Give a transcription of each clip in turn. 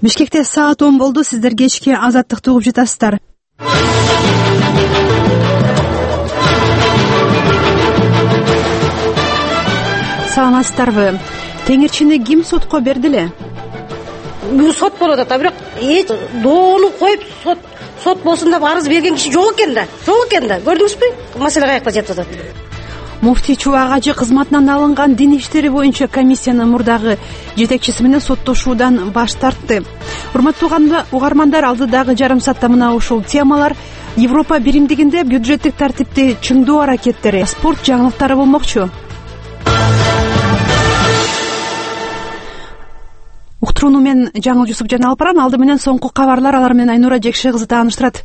Бишкекте саат 10 болду. Сиздер кечки Азаттыкты угуп жатасыздар. Саламатсыздарбы? Теңирчини ким сотко берди эле? Бүгүн сот болуп атат, бирок доону коюп сот болсун деп арыз берген киши жок экен да. Көрдүңүзбү? Маселе каякта жатып атат. Муфтий Чубак ажы кызматынан алынган дин иштери боюнча комиссиянын мурдагы жетекчиси менен соттошуудан баш тартты. Урматтуу угармандар, алдыдагы жарым саатта мына ушул темалар: Европа биримдигинде бюджеттик тартипти чыңдоо аракеттери, спорт жаңылыктары болмокчу. Уктурууну мен Жаңыл Жусупжан алып барам. Алды менен соңку кабарлар, алар менен Айнура Жекше кызы тааныштырат.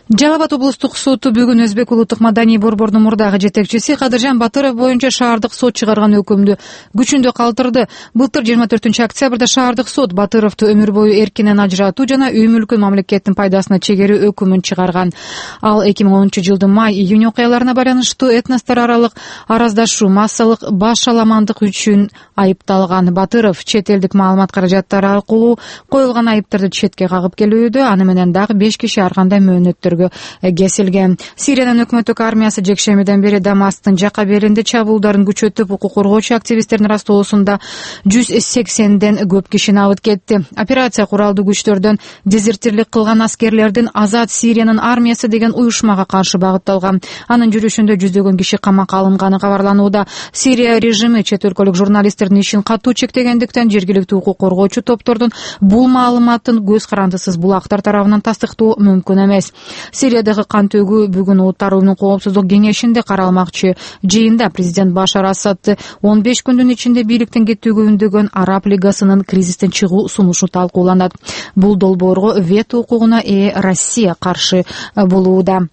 Жалал Абад облустук соту бүгүн Өзбек улуттук маданий борборунун мурдагы жетекчиси Кадыржан Батыров боюнча шаардык сот чыгарган өкүмдү күчүндө калтырды. Былтыр 24-октябрда шаардык сот Батыровду өмүр бою эркинен ажыратуу жана үй мүлкүн мамлекеттин пайдасына чегерүү өкүмүн чыгарган. Ал 2010-жылдын май-июнь окуяларына байланыштуу этностор аралык араздашуу, массалык баш аламандык үчүн айыпталган. Батыров чет элдик маалымат каражаттары аркылуу коюлган айыптарды четке кагып келүүдө, аны менен дагы 5 киши ар кандай мөөнөттөргө кесилген. Сириянын өкмөттүк армиясы жекшемиден бери Дамасктын жака беринде чабуулдарын күчөтүп, укук коргоочу активисттердин растоосунда 180ден көп кишини алып кетти. Операция куралдуу күчтөрдөн дезертирлик кылган аскерлердин Азат Сириянын армиясы деген уюшмага каршы багытталган. Анын жүрүшүндө жүздөгөн киши камакка алынганы кабарланууда. Сирия режими чет өлкөлүк журналисттердин ишин катуу чектегендиктен жергиликтүү укук коргоочу топтордун бул маалыматын көз карандысыз булактар тарабынан тастыктоо мүмкүн эмес. Сириядагы кан төгүү бүгүн Улуттар уюмунун коопсуздук кеңешинде каралмакчы. Жыйында президент Башар Асадды 15 күндүн ичинде бийликтен кетүүгө үндөгөн Араб лигасынын кризистен чыгуу сунушу талкууланат. Бул долбоорго вето укугуна ээ Россия каршы болууда.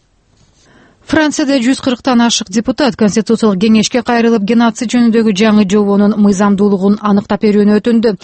Францияда 140тан ашык депутат Конституциялык кеңешке кайрылып, геноцид жөнүндөгү жаңы жобонун мыйзамдуулугун аныктап берүүнү өтүндү.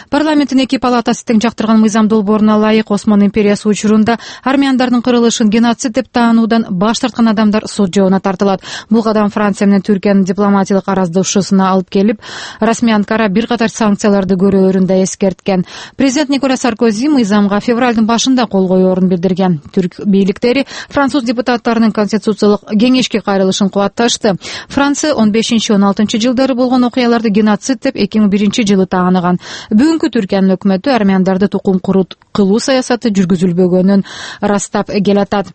Парламенттин эки палатасы тең жактырган мыйзам долбооруна ылайык Осман империясы учурунда армяндардын кырылышын геноцид деп таануудан баш тарткан адамдар сот жообуна тартылат. Бул кадам Франция менен Түркиянын дипломатиялык араздашуусуна алып келип, расмий Анкара бир катар санкцияларды көрөөрүн да эскерткен. Президент Николя Саркози мыйзамга февралдын башында кол коёорун билдирген. Түрк бийликтери француз депутаттарынын Конституциялык кеңешке кайрылышын кубатташты. Франция 15-16 жылдары болгон окуяларды геноцид деп 2001-жылы тааныган. Бүгүнкү Түркиянын өкмөтү армяндарды тукум кылуу саясаты жүргүзүлбөгөнүн ырастап келатат.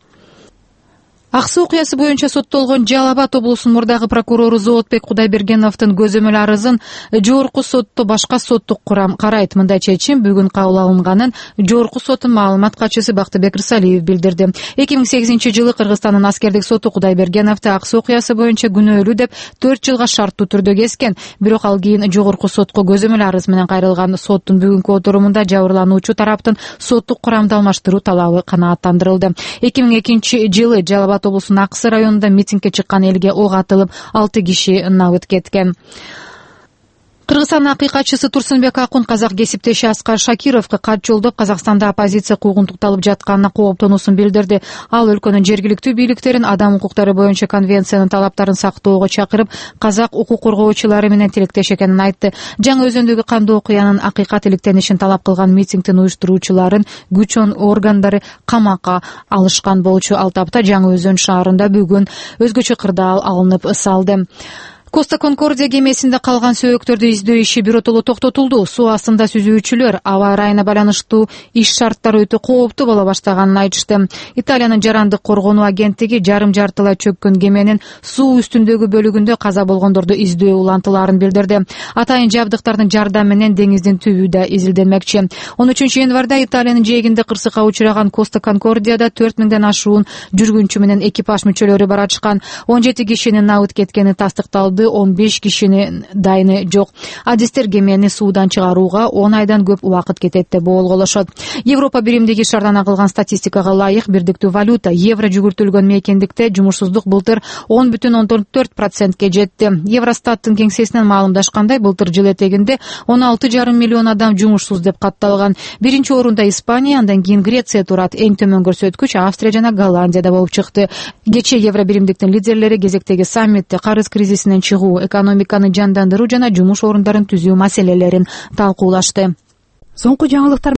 Ак суу окуясы боюнча соттолгон Жалал Абад облусунун мурдагы прокурору Зоотбек Кудайбергеновдун көзөмөл арызын жогорку сотто башка соттук курам карайт. Мындай чечим бүгүн кабыл алынганын жогорку соттун маалымат катчысы Бактыбек Рысалиев билдирди. 2008-жылы Кыргызстандын аскердик соту Кудайбергеновду ак суу окуясы боюнча күнөөлүү деп 4 жылга шарттуу түрдө кескен. Бирок ал кийин жогорку сотко көзөмөл арыз менен кайрылган. Соттун бүгүнкү отурумунда жабырлануучу тараптын соттук курамды алмаштыруу талабы канааттандырылды. 2002-жылы Жалал Абад облусунун Аксы районунда митингге чыккан элге ок атылып, 6 киши набыт кеткен. Кыргызстандын акыйкатчысы Турсунбек Акун казак кесиптеши Аскар Шакировго кат жолдоп, Казакстанда оппозиция куугунтукталып жатканына кооптонуусун билдирди. Ал өлкөнүн жергиликтүү бийликтерин адам укуктары боюнча конвенциянын талаптарын сактоого чакырып, казак укук коргоочулары менен тилектеш экенин айтты. Жаңы Өзөндөгү кандуу окуянын акыйкат иликтенишин талап кылган митингдин уюштуруучуларын күч органдары камакка алышкан болчу. Ал тапта Жаңы Өзөн шаарында бүгүн өзгөчө кырдаал алынып салды. Коста Конкордия кемесинде калган сөөгүктөрдү издөө иши биротоло токтотулду. Суу астында сүзүүчүлөр аба ырайына байланыштуу иш шарттары өтө кооптуу боло баштаганын айтышты. Италиянын жарандык коргонуу агенттиги жарым жартылай чөккөн кеменин суу үстүндөгү бөлүгүндө каза болгондорду издөө улантыларын билдирди. Атайын жабдыктардын жардамы менен деңиздин түбү да изилденмекчи. 13 январда Италиянын жээгинде кырсыкка учураган Коста Конкордияда 4000ден ашуун жүргүнчү менен экипаж мүчөлөрү баратышкан. 17 кишинин набыт кеткени тастыкталды. 15 кишинин дайыны жок. Адистер кемени суудан чыгарууга 10 айдан көп убакыт кетет деп болголошот. Европа биримдиги шаардан агылган статистикага ылайык бирдиктүү валюта евро жүгүртүлгөн мейкиндикте жумушсуздук былтыр 10,14%ке жетти. Евростаттын кеңсесинен маалымдашкандай, былтыр жыл этегинде 16,5 миллион адам жумушсуз деп катталган. Биринчи орунда Испания, андан кийин Греция турат. Эң төмөн көрсөткүч Австрия жана Голландияда болуп чыкты. Кечээ евро биримдиктин лидерлери кезектеги саммитте карыз кризисинен чыгуу, экономиканы жандандыруу жана жумуш орундарын түзүү маселелерин талкуулашты. Соңку жаңылыктар